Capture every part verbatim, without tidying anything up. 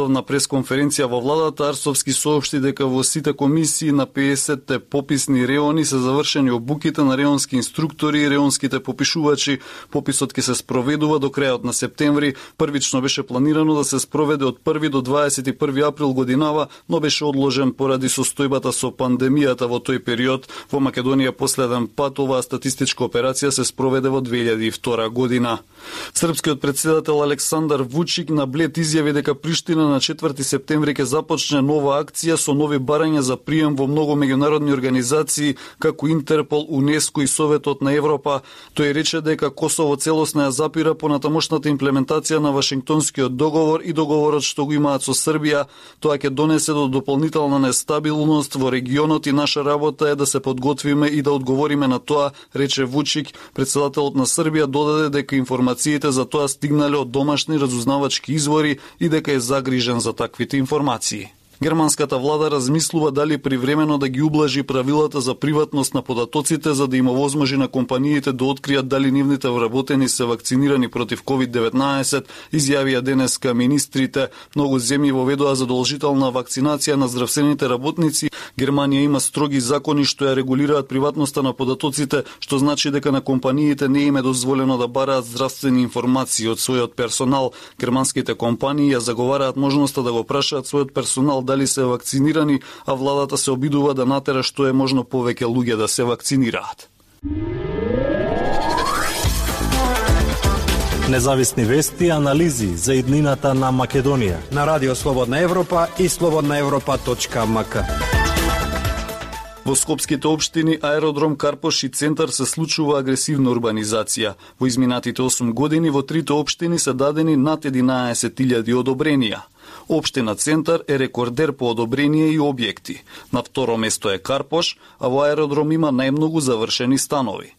На пресконференција во владата Арсовски соопшти дека во сите комисии на педесетте пописни реони се завршени обуките на реонски инструктори и реонските попишувачи. Пописот ќе се спроведува до крајот на септември. Првично беше планирано да се спроведе од први до дваесет и први април годинава, но беше одложен поради состојбата со пандемијата во тој период. Во Македонија последен пат оваа статистичка операција се спроведе во две илјади и втора година. Српскиот претседател Александар Вучик на Блед изјави дека Приштина на четврти септември ќе започне нова акција со нови барања за прием во многу меѓународни организации како Интерпол, УНЕСКО и Советот на Европа. Тој рече дека Косово целосно ја запира понатамошната имплементација на Вашингтонскиот договор и договорот што го имаат со Србија. Тоа ќе донесе до дополнителна нестабилност во регионот и наша работа е да се подготвиме и да одговориме на тоа, рече Вучик. Председателот на Србија додаде дека информациите за тоа стигнале од домашни разузнавачки извори и дека е загрижен за таквите информации. Германската влада размислува дали привремено да ги ублажи правилата за приватност на податоците за да им овозможи на компаниите да откријат дали нивните вработени се вакцинирани против ковид деветнаесет, изјавија денеска министрите. Многу земји воведоа задолжителна вакцинација на здравствените работници. Германија има строги закони што ја регулираат приватноста на податоците, што значи дека на компаниите не им е дозволено да бараат здравствени информации од својот персонал. Германските компании ја заговараат можноста да го прашаат својот персонал дали се вакцинирани, а владата се обидува да натера што е можно повеќе луѓе да се вакцинираат. Независни вести и анализи за иднината на Македонија на Радио Слободна Европа и слободна европа точка ем ка. Во скопските општини Аеродром Карпош и Центар се случува агресивна урбанизација. Во изминатите осум години во трите општини се дадени над единаесет илјади одобренија. Општина Центар е рекордер по одобрение и објекти. На второ место е Карпош, а во Аеродром има најмногу завршени станови.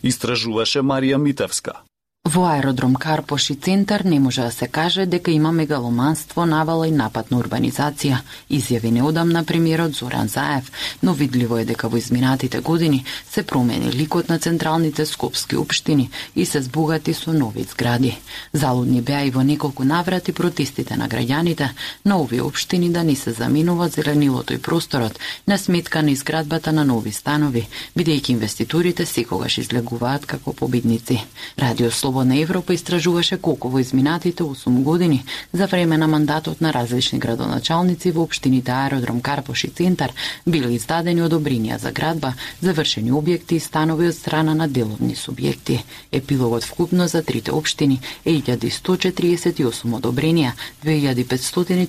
Истражуваше Марија Митевска. Во Аеродром Карпош и Центар не може да се каже дека има мегаломанство, навала и напад на урбанизација, изјави неодамна премиерот Зоран Заев, но видливо е дека во изминатите години се промени ликот на централните скопски општини и се збогати со нови згради. Залудни беа и во неколку наврати протестите на граѓаните на овие општини да не се заминува зеленилото и просторот на сметка на изградбата на нови станови, бидејќи инвеститорите секогаш излегуваат како победници. Радио Слободна Европа истражуваше колку во изминатите осум години за време на мандатот на различни градоначалници во општините Аеродром Карпош и Центар биле издадени одобренија за градба, завршени објекти и станови од страна на деловни субјекти. Епилогот вкупно за трите општини е илјада сто четиридесет и осум одобренија, две илјади петстотини